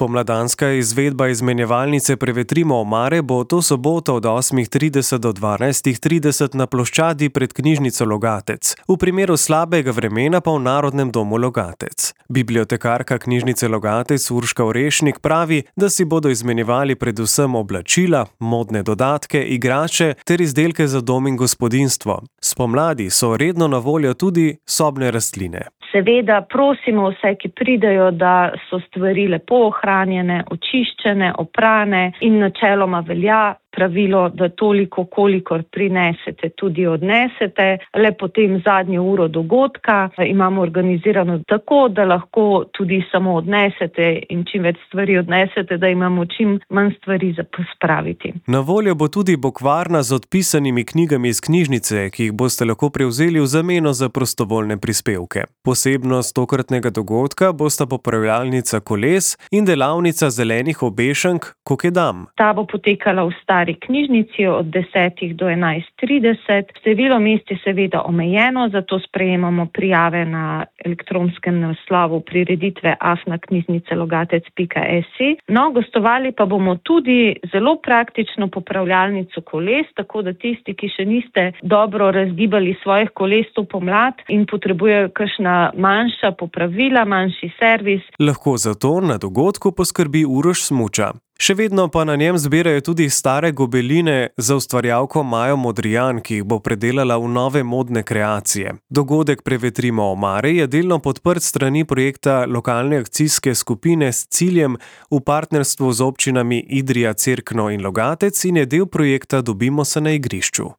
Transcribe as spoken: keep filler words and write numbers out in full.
Spomladanska izvedba izmenjevalnice Prevetrimo omare bo to soboto od osmih trideset do dvanajstih trideset na ploščadi pred knjižnico Logatec, v primeru slabega vremena pa v Narodnem domu Logatec. Bibliotekarka knjižnice Logatec Urška Orešnik pravi, da si bodo izmenjevali predvsem oblačila, modne dodatke, igrače ter izdelke za dom in gospodinjstvo. Spomladi so redno na voljo tudi sobne rastline. Seveda prosimo vse, ki pridejo, da so stvari lepo ohranjene, očiščene, oprane in načeloma velja pravilo, da toliko, kolikor prinesete, tudi odnesete. Le potem zadnjo uro dogodka imamo organizirano tako, da lahko tudi samo odnesete in čim več stvari odnesete, da imamo čim manj stvari za pospraviti. Na voljo bo tudi bokvarna z odpisanimi knjigami iz knjižnice, ki jih boste lahko prevzeli v zameno za prostovoljne prispevke. Posebnost tokratnega dogodka bosta popravljalnica koles in delavnica zelenih obešank Kokedam. Ta bo potekala v stari knjižnici od desetih do enajst trideset. Število mest je seveda omejeno, zato sprejemamo prijave na elektronskem naslovu prireditve afna knjižnice logatec pika si. No, gostovali pa bomo tudi zelo praktično popravljalnico koles, tako da tisti, ki še niste dobro razgibali svojih koles to pomlad in potrebujejo kakšna manjša popravila, manjši servis. Lahko zato na dogodku poskrbi Uroš Smuča. Še vedno pa na njem zbirajo tudi stare gobeline za ustvarjalko Majo Modrijan, ki jih bo predelala v nove modne kreacije. Dogodek Prevetrimo omare je delno podprt strani projekta lokalne akcijske skupine s ciljem v partnerstvu z občinami Idrija, Cerkno in Logatec in je del projekta Dobimo se na igrišču.